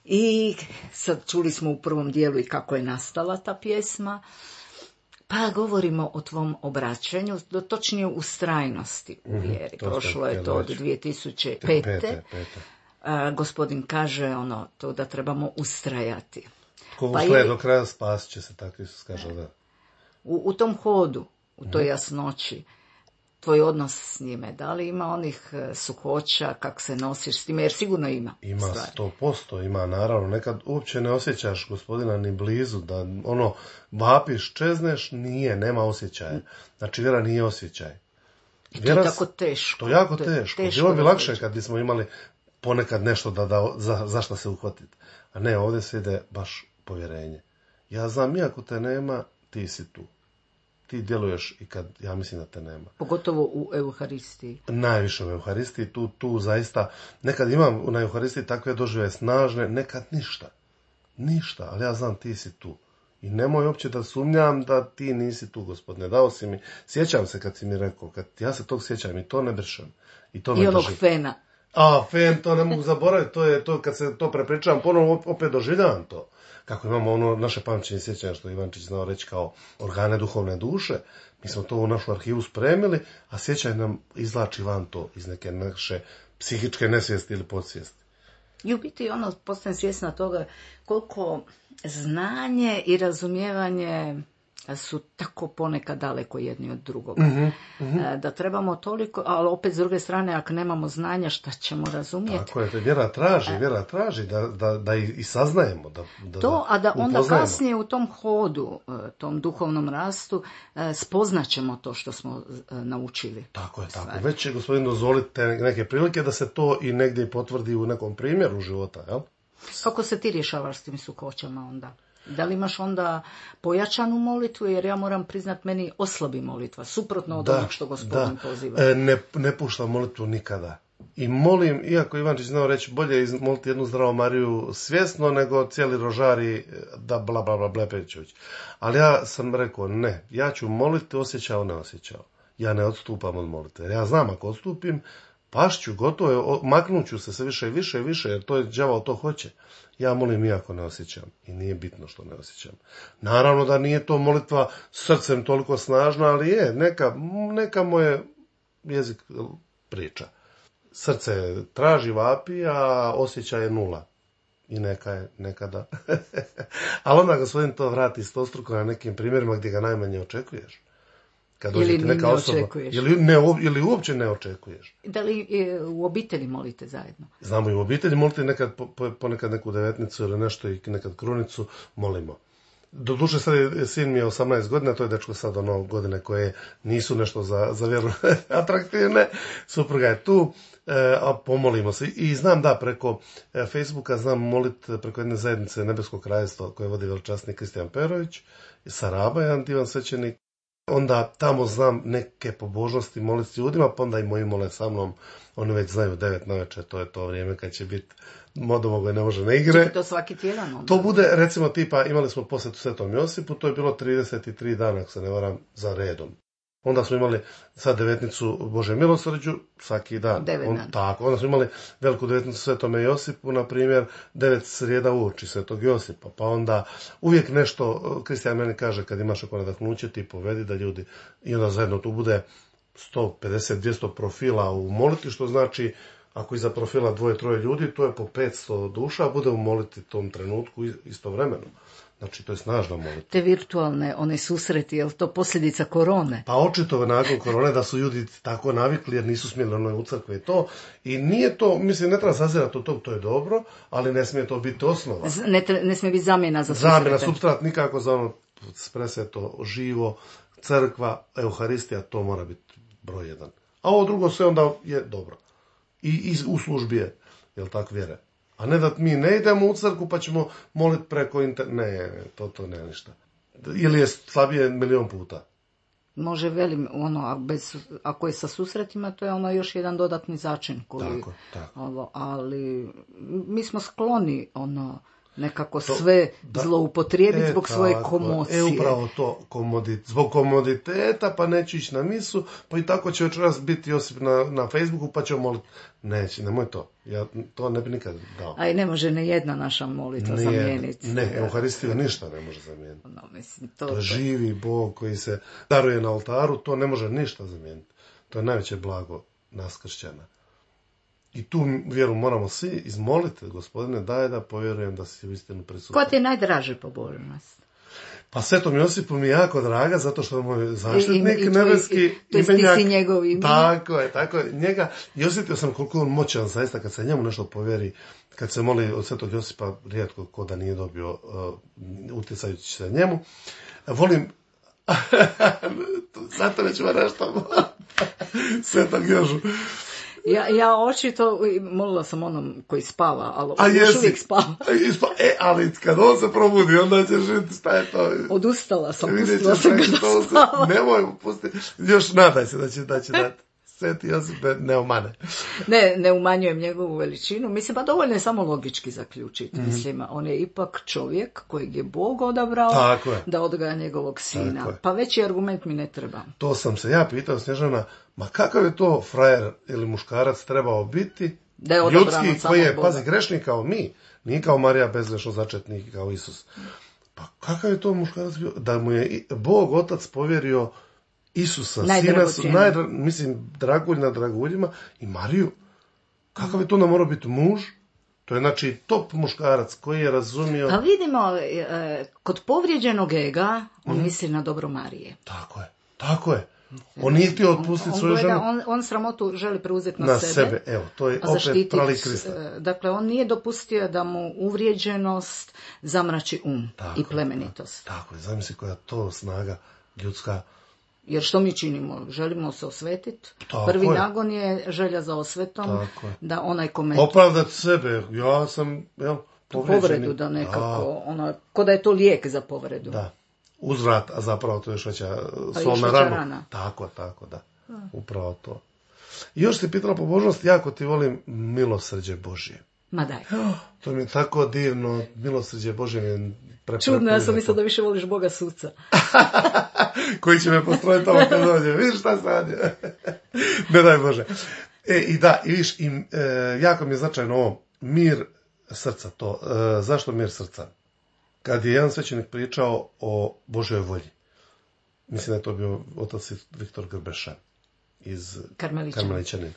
I sad čuli smo u prvom dijelu i kako je nastala ta pjesma. Pa govorimo o tvom obraćanju, točnije ustrajnosti u vjeri. Mm-hmm, Prošlo je to od dvije tisuće pete. A, gospodin kaže ono, to da trebamo ustrajati. Ko ustraje do kraja, spasit će se, tako Isus kaže, da. U, u tom hodu, u toj jasnoći, tvoj odnos s njime, da li ima onih suhoća, kako se nosiš s time, jer sigurno ima. Ima sto posto, ima naravno, nekad uopće ne osjećaš gospodina ni blizu, da ono, vapiš, čezneš, nije, nema osjećaja. Znači, vjera nije osjećaj. I to je tako teško. To je jako teško. teško Bilo bi lakše kad bismo imali ponekad nešto da, da, za, za šta se uhvatiti. A ne, ovdje se ide baš povjerenje. Ja znam, iako te nema, ti si tu. Ti djeluješ i kad ja mislim da te nema. Pogotovo u Euharistiji. Najviše u Euharistiji, tu, tu zaista, nekad imam na Euharistiji takve dožive snažne, nekad ništa. Ništa, ali ja znam, ti si tu. I nemoj uopće da sumnjam da ti nisi tu, Gospodine. Dao si mi, sjećam se kad si mi rekao, kad ja se tog sjećam i to ne brišem. I, to I onog drži. fena. A, fen, to ne mogu zaboraviti, to je to kad se to prepričavam, ponovno opet doživljavam to. Kako imamo ono naše pamćenje sjećanja, što Ivančić znao reći kao organe duhovne duše, mi smo to u našu arhivu spremili, a sjećanje nam izvlači van to iz neke naše psihičke nesvijesti ili podsvijesti. I u biti ono, postajem svjesna toga koliko znanje i razumijevanje su tako ponekad daleko jedni od drugoga. Mm-hmm, mm-hmm. Da trebamo toliko, ali opet s druge strane, ako nemamo znanja, šta ćemo razumjeti? Tako je, vjera traži, vjera traži da, da, da i saznajemo. Da, da, to, a da onda upoznajemo. Kasnije u tom hodu, tom duhovnom rastu, spoznaćemo to što smo naučili. Tako je, tako. Stvari. Već će gospodin dozvoliti neke prilike da se to i negdje potvrdi u nekom primjeru života, jel? Kako se ti rješavaš s tim sukoćama onda? Da li imaš onda pojačanu molitvu, jer ja moram priznat, meni oslabi molitva, suprotno od da, onog što gospodin da. poziva. E, ne, ne puštam molitvu nikada. I molim, iako Ivančić znao reći, bolje moliti jednu Zdravu Mariju svjesno, nego cijeli rožari da bla bla bla blepećuć. Ali ja sam rekao, ne, ja ću moliti osjećao, ne osjećao. Ja ne odstupam od molitve. Ja znam, ako odstupim, pašću, gotovo je, maknuću se sve više i više i više, jer to je đavao to hoće. Ja molim iako ne osjećam i nije bitno što ne osjećam. Naravno da nije to molitva srcem toliko snažna, ali je, neka, neka moje jezik priča. Srce traži, vapi, a osjećaj je nula. I neka je, nekada. Ali onda gospodin to vrati stostruko na nekim primjerima gdje ga najmanje očekuješ. Kad ili dođe neka ne osoba, očekuješ. Ili, ne, ili uopće ne očekuješ. Da li e, u obitelji molite zajedno? Znamo i u obitelji moliti nekad, po, ponekad neku devetnicu ili nešto i nekad krunicu molimo. Doduše sad je, sin mi je osamnaest godina, to je dečko sad ono godine koje nisu nešto za, za vjeru atraktivne. Supruga je tu, e, a pomolimo se. I znam da preko e, Facebooka znam moliti preko jedne zajednice Nebeskog kraljevstva koje vodi veličasni Kristijan Perović, Saraba, jedan divan svećenik. Onda tamo znam neke pobožnosti moliti ljudima, pa onda i moji mole sa mnom. Oni već znaju devet navečer, to je to vrijeme kad će biti modomogo ne može na igre. Čekaj, to svaki tjedan onda? To bude, recimo, tipa, imali smo posjetu Svetom Josipu, to je bilo trideset tri dana, ako se ne varam, za redom. Onda smo imali sad devetnicu Bože milosrđu, svaki dan. Devet On, dana. tako, onda smo imali veliku devetnicu Svetome Josipu, na primjer, devet srijeda uoči Svetog Josipa, pa onda uvijek nešto, Kristijan meni kaže, kad imaš oko nadahnuće, ti povedi da ljudi, i onda zajedno tu bude sto pedeset do dvjesto profila u moliti, što znači, ako iza profila dvoje, troje ljudi, to je po petsto duša, bude u moliti tom trenutku istovremeno. Znači, to je snažna molitva. Te virtualne, one susreti, je li to posljedica korone? Pa očito nakon korone da su ljudi tako navikli jer nisu smjeli ono u crkve i to. I nije to, mislim, ne treba sazirati od tog, to je dobro, ali ne smije to biti osnova. Z- Ne, tre- ne smije biti zamjena za susrete. Zamjena, supstrat nikako za ono presveto, živo, crkva, euharistija, to mora biti broj jedan. A ovo drugo sve onda je dobro. I, i u službi je, jel tako, vjere. A ne da mi ne idemo u crkvu pa ćemo moliti preko internet. Ne, ne, to, to ne ništa. Ili je slabije milion puta. Može, velim, ono, a bez, ako je sa susretima, to je ono još jedan dodatni začin koji, Tako, tako. Ovo, ali mi smo skloni, ono, nekako To- sve da. zloupotrijebiti zbog svoje tako, komocije. E, upravo to, komodit, zbog komoditeta, pa neću ići na misu, pa i tako će večeras biti Josip na, na Facebooku, pa ćemo moliti. Neće, nemoj to. Ja to ne bi nikad dao. A i ne može ne jedna naša molitva Nije- zamijeniti. Ne, Euharistiju ništa ne može zamijeniti. No, mislim, to, To je živi Bog koji se daruje na oltaru, to ne može ništa zamijeniti. To je najveće blago nas kršćana. I tu vjeru moramo svi izmoliti, Gospodine, daj da povjerujem da si u istinu prisutan. Ko ti je najdraže pobožnost? Pa Svetom Josipu mi je jako draga, zato što je moj zaštitnik I- i- i tvoj- nebeski. i- to jest ti imenjak. si njegov imenjak. Tako je, tako je. Njega, i osjetio sam koliko je on moćan, zaista, kad se njemu nešto povjeri, kad se moli od Svetog Josipa, rijetko ko da nije dobio, uh, utjecajući se njemu. Volim, zato nećemo nešto Svetog Jožu. Ja, ja očito molila sam onom koji spava, ali A još jesi? uvijek spava. E, ali kad on se probudi, onda ćeš vidjeti šta je to. Odustala sam, Vidjet pustila ćeš sam ga reći, da to se- spava. Nemoj mu pustiti. Još nadaj se da će, da će dati. Sveti Josip ne, ne omane. Ne, ne umanjujem njegovu veličinu. Mislim, pa dovoljno je samo logički zaključiti. Mhm. Mislim, on je ipak čovjek kojeg je Bog odabrao Tako je. da odgaja njegovog sina. Tako je. Pa veći argument mi ne treba. To sam se ja pitao, Snježana, ma kakav je to frajer ili muškarac trebao biti, Da je odabran od ljudski, samog koji je, Boga. pazi, grešnik kao mi, nije kao Marija bezgrešno začetnik, kao Isus. Pa kakav je to muškarac bio, da mu je i- Bog Otac povjerio Isusa, sina, Najdragocjeniji. najdra, mislim, dragulj na draguljima, i Mariju. Kakav je to onda morao biti muž? To je, znači, top muškarac koji je razumio... Pa vidimo, e, kod povrijeđenog ega, on Mhm. misli na dobro Marije. Tako je, tako je. On nije htio otpustiti On, svoju gleda, ženu on, on sramotu želi preuzeti na, na sebe. sebe. Evo, to je a opet zaštititi, prali Krista. e, Dakle, on nije dopustio da mu uvrijeđenost zamrači um Tako i je, plemenitost. Tako je, zamisli koja to snaga ljudska. Jer što mi činimo? Želimo se osvetiti. Tako Prvi je. nagon je želja za osvetom, Tako je. da onaj kome Opravdati sebe, ja sam, jel, povrijeđeni. povredu da nekako, ono, ko da je to lijek za povredu. Da, da. Uzvrat, a zapravo to je još veća Pa sol još na veća ranu. rana. Tako, tako, da. Upravo to. I još si pitala pobožnost, jako ti volim milosrđe Božje. Ma daj. To mi je tako divno, milosrđe Božje mi je pre, Čudno, ja sam prelijepo. mislila da više voliš Boga suca. Koji će me postrojiti tamo kad dođe. Vidiš šta se radi? Ne daj Bože. E, i da, i viš, i, e, jako mi je značajno ovo, mir srca to. E, zašto mir srca? Kad je jedan svećenik pričao o Božoj volji, mislim da je to bio otac Viktor Grbeša iz Karmelićanin. Karmelićanin.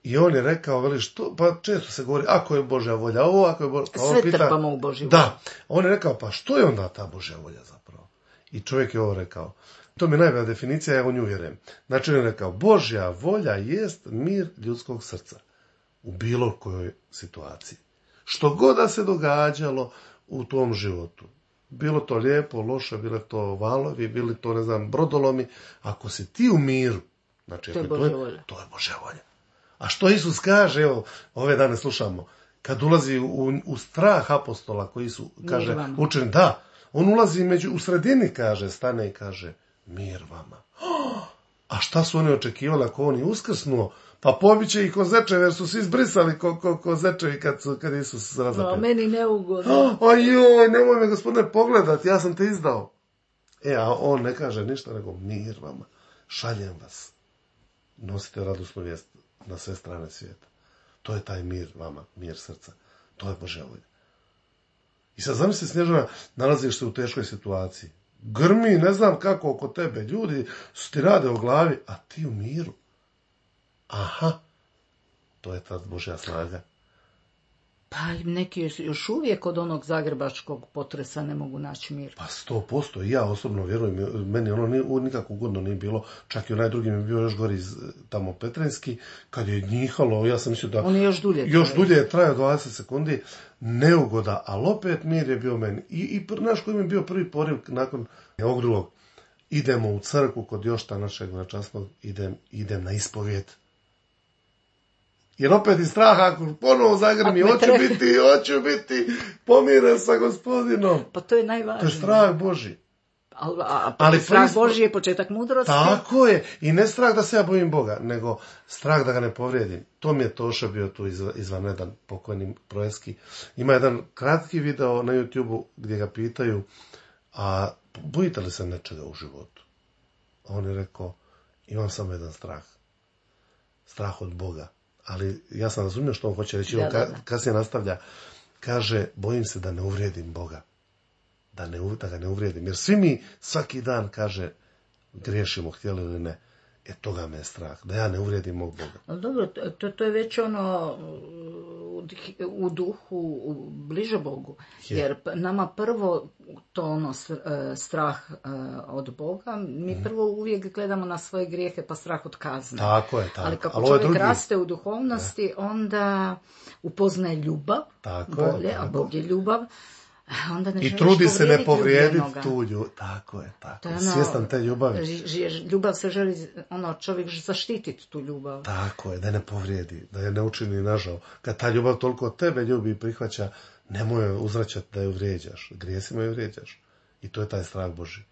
I on je rekao, veli, što, pa često se govori, ako je Božja volja ovo, ako je Božja... Sve pita, trpamo u Božju volju. Da, on je rekao, pa što je onda ta Božja volja zapravo? I čovjek je ovo rekao. To mi je najbolja definicija, ja u nju vjerujem. Znači on je rekao, Božja volja jest mir ljudskog srca u bilo kojoj situaciji. Što god da se događalo u tom životu. Bilo to lijepo, loše, bilo to valovi, bili to, ne znam, brodolomi. Ako si ti u miru, znači, to je to Božja je, volja. To je Božja volja. A što Isus kaže, evo, ove dane slušamo, kad ulazi u, u strah apostola koji su, kaže, učeni, da, on ulazi među, u sredini, kaže, stane i kaže, mir vama. A šta su oni očekivali ako on je uskrsnuo? Pa pobiće ih ko zečevi, jer su svi izbrisali ko, ko, ko zečevi kad, su, kad Isus razapet. No, meni neugodno. Ajoj, nemoj me, gospodine, pogledati, ja sam te izdao. E, a on ne kaže ništa, nego mir vama, šaljem vas. Nosite radosnu vijest na sve strane svijeta. To je taj mir vama, mir srca. To je Božja volja. I sad zamisli, Snježana, nalaziš se u teškoj situaciji. Grmi, ne znam kako oko tebe, ljudi su ti rade o glavi, a ti u miru. Aha, to je ta Božja snaga. Pa neki još uvijek od onog zagrebačkog potresa ne mogu naći mir. Pa sto posto, i ja osobno vjerujem, meni ono nikako ugodno nije bilo, čak i onaj drugi mi je bio još gori iz tamo Petrinski, kad je njihalo, ja sam mislio da... On je još dulje. Još dulje je trajao dvadeset sekundi, neugoda, ali opet mir je bio meni. I, i naš koji mi je bio prvi poriv nakon ovog drugog. Idemo u crkvu kod Jošta našeg veličasnog, idem, idem na ispovijed. Jer opet iz straha, ako ponovo zagrmi, hoću treba... biti, hoću biti pomiren sa Gospodinom. Pa to je najvažnije. To je strah Božji. A, a, ali strah prispo... Božji je početak mudrosti. Tako je. I ne strah da se ja bojim Boga, nego strah da ga ne povrijedim. To mi je Toša bio tu izvanredan, pokojni Projeski. Ima jedan kratki video na YouTubeu gdje ga pitaju, a bojite li se nečega u životu? A on je rekao, imam samo jedan strah. Strah od Boga. Ali ja sam razumio što on hoće reći. Da, da, da. Kasnije nastavlja, kaže, bojim se da ne uvrijedim Boga. Da, ne, da ga ne uvrijedim. Jer svi mi svaki dan, kaže, griješimo, htjeli ili ne. E, toga me je strah. Da ja ne uvrijedim mog Boga. Dobro, to, to je već ono u duhu bliže Bogu. Je. Jer nama prvo to ono strah od Boga, mi mm. prvo uvijek gledamo na svoje grijehe pa strah od kazne. Tako je, tako. Ali kako Ali čovjek drugi... raste u duhovnosti, ne. onda upoznaje ljubav, tako bolje, je, tako. A Bog je ljubav. Onda ne I trudi se ne povrijediti tu ljubav. Tako je, tako. To je ono, svjestan te ljubavi. Ljubav se želi, ono, čovjek zaštititi tu ljubav. Tako je, da ne povrijedi, da je ne učini nažao. Kad ta ljubav toliko tebe ljubi i prihvaća, nemoj uzvraćati da ju vrijeđaš. Grijesima ju vrijeđaš. I to je taj strah Božji.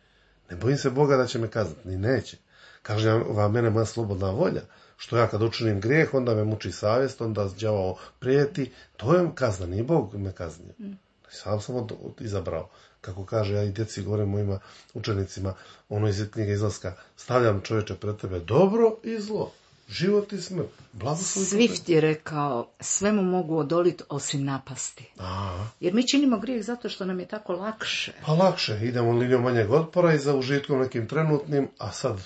Ne bojim se Boga da će me kazniti, ni neće. Kaže vam, mene moja slobodna volja. Što ja kad učinim grijeh, onda me muči savjest, onda đavao prijeti. To je kazna, nije Bog me kaznio. Mm. Sam sam od, od, izabrao. Kako kaže, ja i djeci govorim mojima učenicima, ono iz knjige Izlaska, stavljam čovječe pred tebe dobro i zlo, život i smrt. Swift je rekao, sve mu mogu odoliti osim napasti. Aha. Jer mi činimo grijeh zato što nam je tako lakše. Pa lakše, idemo linijom manjeg otpora i za užitkom nekim trenutnim, a sad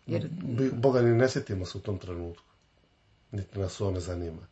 Jer... Boga ni ne sjetimo se u tom trenutku. Niti nas ovo ne zanima.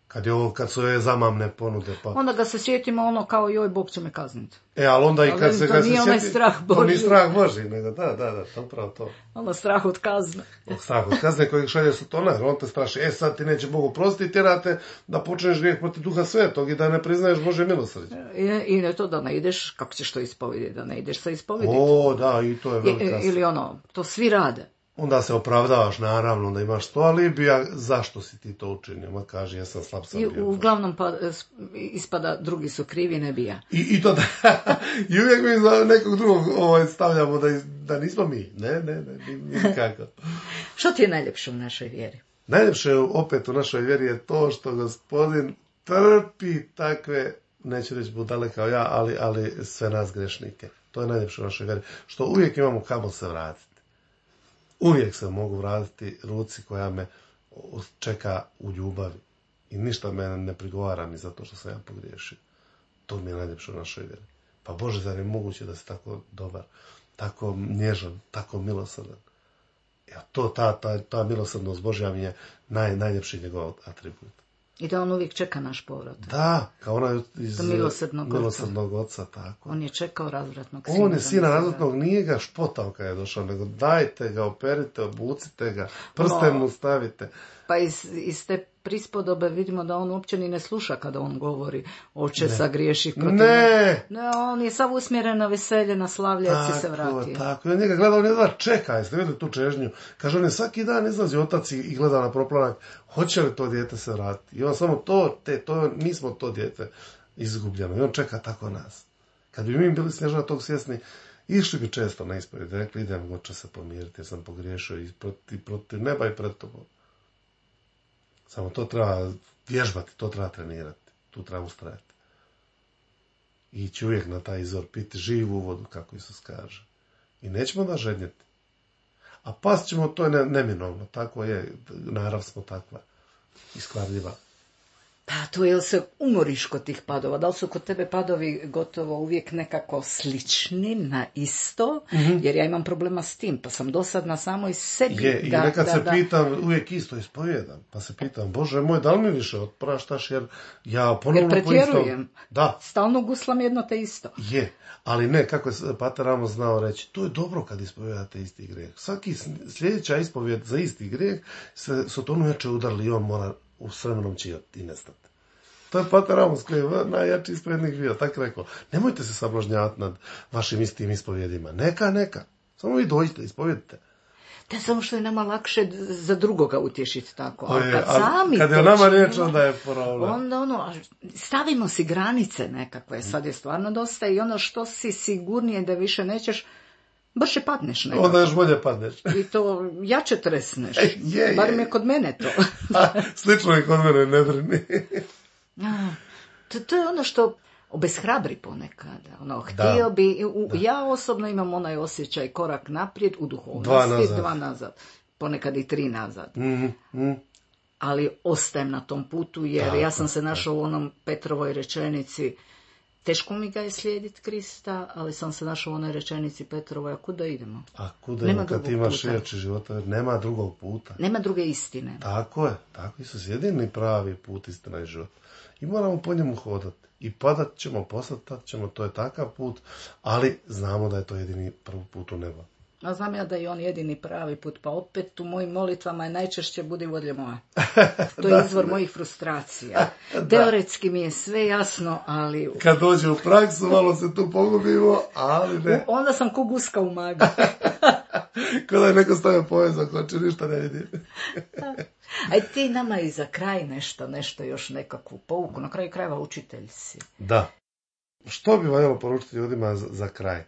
Kad, je ovo, kad su je zamamne ponude. Pa... Onda ga se sjetimo ono kao joj, Bog će me kazniti. E, ali onda i kad ali, se, kad se sjeti... strah Božji. To nije strah Božji, nego da, da, da, to upravo to. Ono strah od kazne. Strah od kazne kojeg šalje Satana, jer on te straši, e sad ti neće Bog oprostiti, tjerate da počneš grijeh protiv Duha Svetog i da ne priznaješ Božje milosrđe. I, I ne to da ne ideš, kako ćeš to ispovediti, da ne ideš sa ispovediti. O, da, i to je velika. I, ili ono, to svi rade. Onda se opravdavaš, naravno, da imaš sto alibija, zašto si ti to učinio? Ma kaže, ja sam slab sam bio. I uglavnom pa, ispada, drugi su krivi, ne bi ja. I, i to da, i uvijek mi za nekog drugog ovaj, stavljamo da, da nismo mi. Ne, ne, ne, nikako. Što ti je najljepše u našoj vjeri? Najljepše opet u našoj vjeri je to što Gospodin trpi takve, neću reći budale kao ja, ali, ali sve nas grešnike. To je najljepše u našoj vjeri. Što uvijek imamo kamo se vratiti. Uvijek se mogu vratiti ruci koja me čeka u ljubavi. I ništa me ne prigovara ni zato što sam ja pogriješio. To mi je najljepše u našoj vjeri. Pa Bože, zar je moguće da si tako dobar, tako nježan, tako milosrdan? Ja, to, ta, ta, ta milosrdnost Božja mi je naj, najljepši njegov atribut. I da on uvijek čeka naš povrat. Da, kao ona iz milosrdnog, milosrdnog oca. Tako. On je čekao razvratnog sina. On je sina razvratnog, nije ga špotao kad je došao, nego dajte ga, operite, obucite ga, prsten mu stavite. Pa iz, iz te prispodobe vidimo da on uopće ni ne sluša kada on govori oče sagriješih protiv ne. ne, on je sav usmjeren na veselje, na slavlje, tako, se vratio. Tako, on njega gleda, on jedva čeka, jeste vidjeli tu čežnju? Kaže, on je svaki dan izlazi otac i gleda na proplanak, hoće li to dijete se vratiti? I on samo to, te, to, mi smo to dijete izgubljeno. I on čeka tako nas. Kad bi mi bili Snježana tog svjesni, išli bi često na ispovjed, rekli, idem, oče se pomiriti, jer sam pogriješio i protiv, protiv neba i pred tobom. Samo to treba vježbati, to treba trenirati, tu treba ustrajati. Ići uvijek na taj izvor, piti živu vodu, kako Isus kaže. I nećemo da žednjeti. A past ćemo, to je ne, neminovno, tako je, narav smo takva, iskvarljiva. Pa to je li se umoriš kod tih padova? Da li su kod tebe padovi gotovo uvijek nekako slični, na isto? Mm-hmm. Jer ja imam problema s tim, pa sam dosadna samo iz sebi. Je, i da, nekad da, se da. pitam, uvijek isto ispovijedam, pa se pitam, Bože moj, da li mi više otpraštaš, jer ja ponovno jer pretjerujem. Da. Stalno guslam jedno te isto. Je, ali ne, kako je Pater Amos znao reći, to je dobro kad ispovijedate isti grijeh. Svaki sljedeća ispovijed za isti grijeh se su to neče udarili i on mora u s vremenom će i nestati. To je Pater Amos koji je najjači ispovjednik bio, tako rekao. Nemojte se sablažnjavati nad vašim istim ispovjedima. Neka, neka. Samo vi dođite, ispovjedite. Da, samo što je nama lakše za drugoga utješiti tako. Ali kad sami kad je nama riječ, onda je problem. Onda ono, stavimo si granice nekakve, sad je stvarno dosta i ono što si sigurnije da više nećeš, brže padneš nekako. Onda još bolje padneš. I to jače tresneš. E, je, Bar mi je. je kod mene to. A, slično je kod mene, ne brini. A, to, to je ono što obeshrabri ponekad. Ono, htio bi, u, ja osobno imam onaj osjećaj korak naprijed u duhovnosti, dva nazad, dva nazad. Ponekad i tri nazad. Mm, mm. Ali ostajem na tom putu jer tako, ja sam se našla u onom Petrovoj rečenici. Teško mi ga je slijediti Krista, ali sam se našla u onoj rečenici Petrovoj, a kuda idemo? A kuda idemo kad imaš riječi života? Nema drugog puta. Nema druge istine. Tako je, tako Isus jedini pravi put, istina i život. I moramo po njemu hodati. I padat ćemo, posatat ćemo, to je takav put, ali znamo da je to jedini prvi put u nebo. A znam ja da je on jedini pravi put, pa opet u mojim molitvama je najčešće budi volje moja. To je izvor mojih frustracija. Teoretski mi je sve jasno, ali... Kad dođe u praksu, malo se tu pogubimo, ali ne. Onda sam ko guska u magi. Kao da je neko stavio povezak, hoće ništa ne vidim. Aj ti nama i za kraj nešto, nešto još nekakvu pouku. Na kraju krajeva učitelj si. Da. Što bi valjalo poručiti ljudima za, za kraj?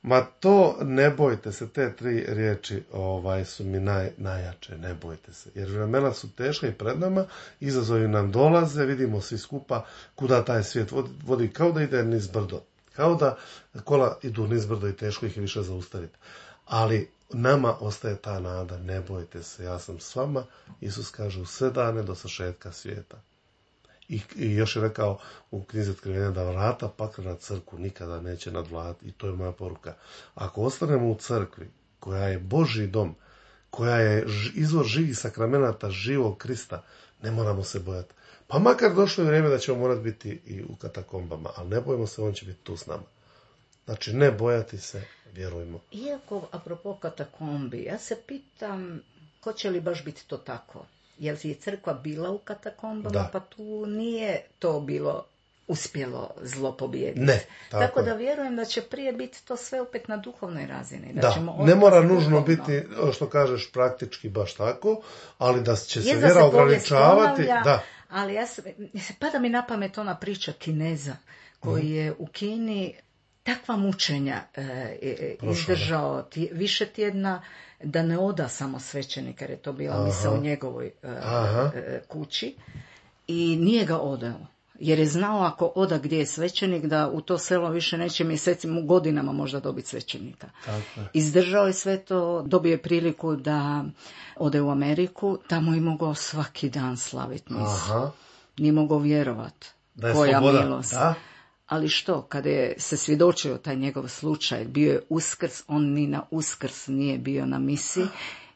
Ma to, ne bojte se, te tri riječi ovaj, su mi naj, najjače, ne bojte se. Jer vremena su teška i pred nama, izazovi nam dolaze, vidimo svi skupa kuda taj svijet vodi, vodi kao da ide niz brdo. Kao da kola idu niz brdo i teško ih je više zaustaviti. Ali nama ostaje ta nada, ne bojte se, ja sam s vama, Isus kaže u sve dane do svršetka svijeta. I, I još je rekao u knjizi Otkrivenja da vrata pakla na crkvu nikada neće nadvladati. I to je moja poruka. Ako ostanemo u crkvi, koja je Božji dom, koja je izvor živih sakramenata živog Krista, ne moramo se bojati. Pa makar došlo je vrijeme da ćemo morati biti i u katakombama, ali ne bojimo se, on će biti tu s nama. Znači, ne bojati se, vjerujmo. Iako, apropo katakombi, ja se pitam, hoće li baš biti to tako? Jer je crkva bila u katakombama, da. Pa tu nije to bilo uspjelo zlo pobijediti. Ne, tako, tako da je. Vjerujem da će prije biti to sve opet na duhovnoj razini. Da, da. Ćemo ne mora nužno duhovno. biti, što kažeš, praktički baš tako, ali da će se je vjera se ograničavati. Da. Ali ja se, pada mi na pamet ona priča Kineza, koji mm. je u Kini takva mučenja e, izdržao tj, više tjedna, da ne oda samo svećenika, jer je to bila misa u njegovoj e, e, kući, i nije ga odao. Jer je znao ako oda gdje je svećenik, da u to selo više neće mjesecima, godinama možda dobiti svećenika. Tako je. Izdržao je sve to, dobio je priliku da ode u Ameriku, tamo je mogao svaki dan slaviti misu. Nije mogao vjerovati. Da je koja sloboda. Milost. Da? Ali što, kada je se svjedočio taj njegov slučaj, bio je Uskrs, on ni na Uskrs nije bio na misi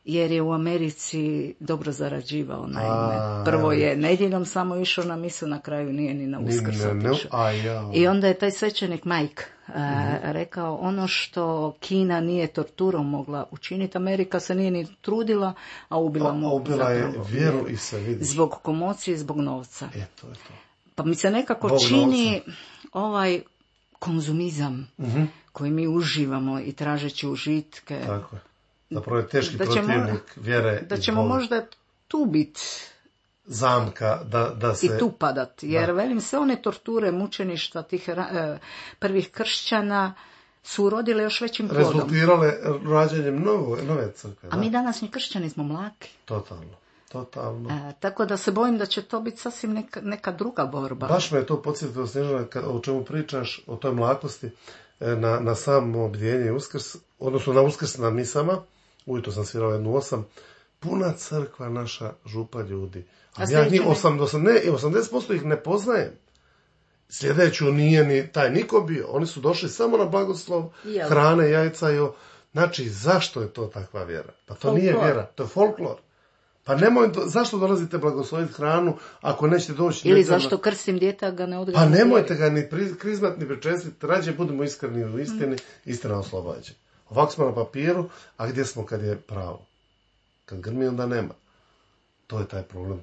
jer je u Americi dobro zarađivao, naime. A, Prvo je nedjeljom samo išao na misu, na kraju nije ni na Uskrs otišao. Ja. I onda je taj svećenik Mike uh, mm-hmm. rekao, ono što Kina nije torturom mogla učiniti, Amerika se nije ni trudila, a ubila a, mu a ubila je zapravo, vjeru vjeru. I se vidi. Zbog komocije, zbog novca. E, to je to. Pa mi se nekako Bog čini novca. ovaj konzumizam Mm-hmm. koji mi uživamo i tražeći užitke. Tako je. Zapravo je teški da ćemo, protivnik vjere. Da ćemo možda tu biti zamka da, da se... i tu padat. Jer da. velim, sve one torture, mučeništva tih eh, prvih kršćana su urodile još većim plodom. Rezultirale rađanjem nove, nove crkve. A da. mi današnji kršćani smo mlaki. Totalno. Totalno. E, tako da se bojim da će to biti sasvim neka, neka druga borba. Baš me je to podsjetilo, Snježana, o čemu pričaš, o toj mlakosti, na, na samo obdijenje i Uskrs, odnosno na Uskrs na misama, ujutro sam svirao jednu osam, puna crkva naša, župa ljudi. A, A ja njih osam, osam, ne, osamdeset posto ih ne poznajem. Sljedeću nije ni taj niko bio. Oni su došli samo na blagoslov, Jel. hrane, jajca i o... Znači, zašto je to takva vjera? Pa to folklor. Nije vjera, to je folklor. Pa nemoj, zašto dolazite blagosloviti hranu ako nećete doći... Ili djetama? zašto krstim djeta ga ne odgledam? Pa nemojte ga ni pri, krizmat ni pričestiti, rađe budemo iskreni u istini, mm. istina oslobađa. Ovako smo na papiru, a gdje smo kad je pravo? Kad grmi, onda nema. To je taj problem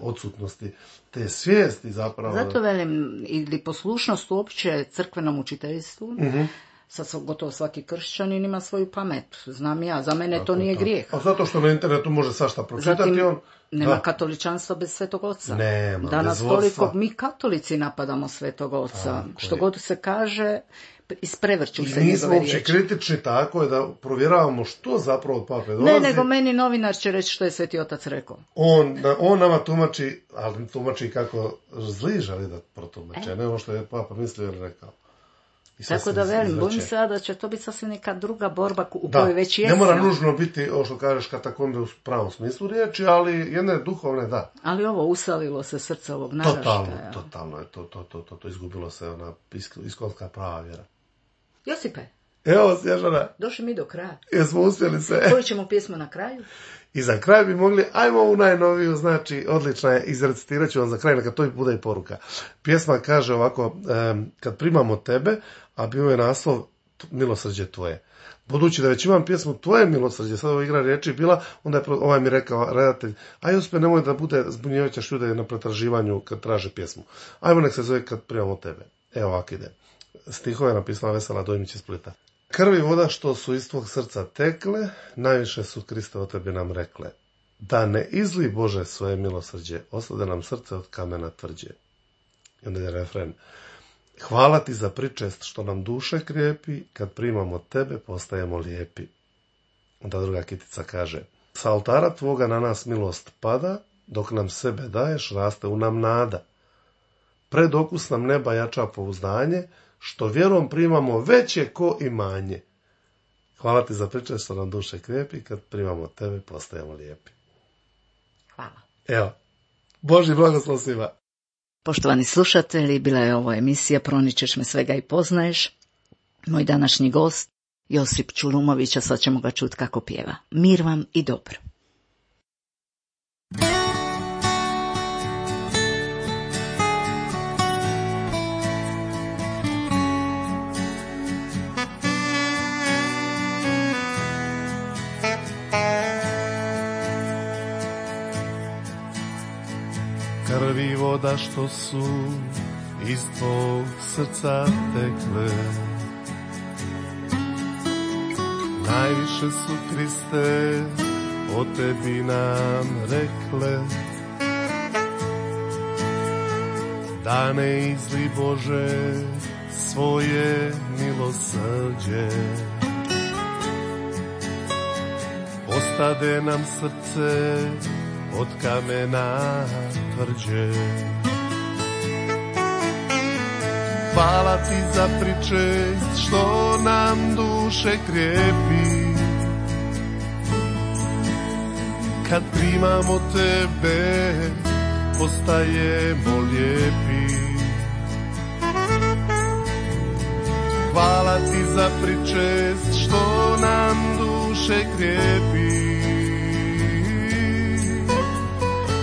odsutnosti te svijesti zapravo. Zato velim, ili poslušnost uopće crkvenom učiteljstvu, mm-hmm. sad gotovo svaki kršćanin ima svoju pamet. Znam ja, za mene tako, to nije tako. Grijeh. A zato što na internetu može svašta pročitati. Zatim, on... nema da. katoličanstva bez Svetog Oca. Nema, danas bez toliko mi katolici napadamo Svetog Oca. Tako što je. God se kaže, isprevrću se njegove riječi. I nismo uopće kritični, tako je da provjeravamo što zapravo od pape dolazi. Ne, nego meni novinar će reći što je Sveti Otac rekao. On, on nama tumači, ali tumači kako zli želi da protumače, e? ne ono što je papa mislio ili rekao. Tako da velim, bojim se da će to biti sasvim neka druga borba u da, kojoj već jesmo. Ne mora nužno biti, ovo što kažeš, katakombe u pravom smislu riječi, ali jedne duhovne, da. Ali ovo usalilo se srce ovog naraštaja. Totalno, totalno je to, to, to, to, to izgubilo se ona iskonska prava vjera. Josipe. Evo, Snježana. Došli mi do kraja. Jesmo uspjeli se. Koju ćemo pjesmu na kraju? I za kraj bi mogli, ajmo ovu najnoviju, znači, odlična je, izrecitirat ću vam za kraj, neka to bude i poruka. Pjesma kaže ovako, um, kad primamo tebe, a bio je naslov Milosrđe tvoje. Budući da već imam pjesmu Tvoje milosrđe, sad ovo igra riječi bila, onda je ovaj mi rekao redatelj, aj uspje nemoj da bude zbunjevajuća ljude na pretraživanju kad traže pjesmu. Ajmo nek se zove kad primamo tebe. Evo ovako ide. Stihove je napisala Vesela Dojmić iz Splita. Krvi voda što su iz tvog srca tekle, najviše su Kriste o tebi nam rekle. Da ne izli Bože svoje milosrđe, oslade nam srce od kamena tvrđe. I onda je refren. Hvala ti za pričest što nam duše krijepi, kad primamo tebe postajemo lijepi. Onda druga kitica kaže. Sa oltara tvoga na nas milost pada, dok nam sebe daješ, raste u nam nada. Pred okus nam neba jača pouzdanje, što vjerom primamo veće ko imanje. Hvala ti za pričest što nam duše krijepi, kad primamo tebe postajemo lijepi. Hvala. Evo, Božji blagoslov svima. Poštovani slušatelji, bila je ovo emisija Proničeš me svega i poznaješ. Moj današnji gost, Josip Čulumović, a sad ćemo ga čuti kako pjeva. Mir vam i dobro. Krvi voda što su iz tvog srca tekle, najviše su Kriste o tebi nam rekle. Da ne izli Bože svoje milosrđe, ostade nam srce od kamena tvrđe. Hvala ti za pričest što nam duše krijepi, kad primamo tebe postajemo lijepi. Hvala ti za pričest što nam duše krijepi,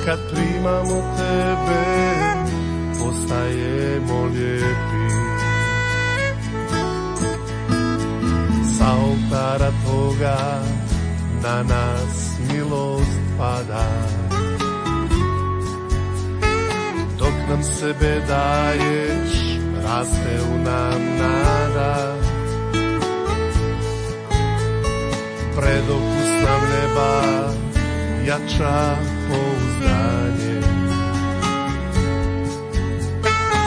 kad primamo tebe, postajemo lijepi. Sa oltara tvoga na nas milost pada, dok nam sebe daješ, raste u nam nada. Predokus nam neba jača pouzdanje,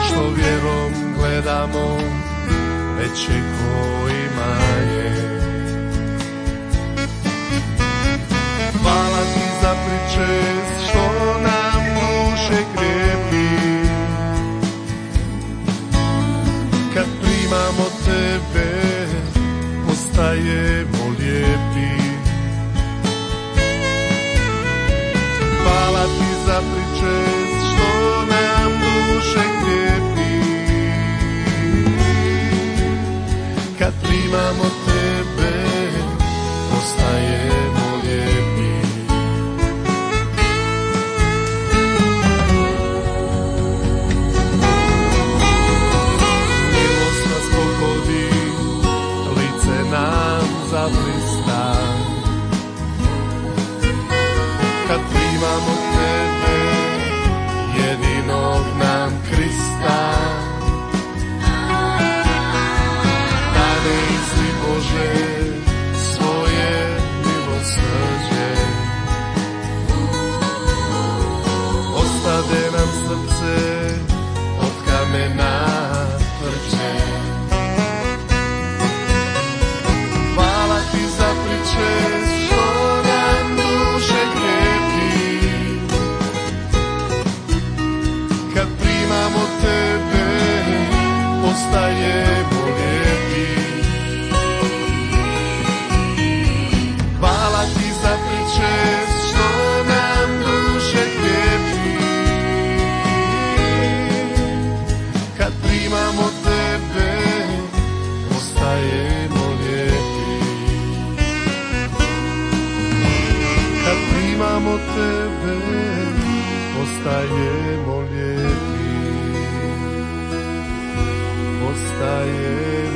što vjerom gledamo veće ko imanje. Hvala ti za pričest što nam duše krijepi, kad primamo tebe postajemo lijepi. Hvala ti za pričest što nam duše krijepi, kad primamo tebe postajemo lijepi. Milost nas pogodi, lice nam zablista, kad primamo tebe, jedinog nam Krista. Dane izli Bože svoje milosrđe, ostade nam srce od kamena tvrđe. Hvala ti za pričest što nam duše krijepi, kad primamo tebe postajemo lijepi. Hvala ti za pričest što nam duše krijepi, kad primamo tebe postajemo lijepi. Kad primamo tebe postajemo lijepi, postajemo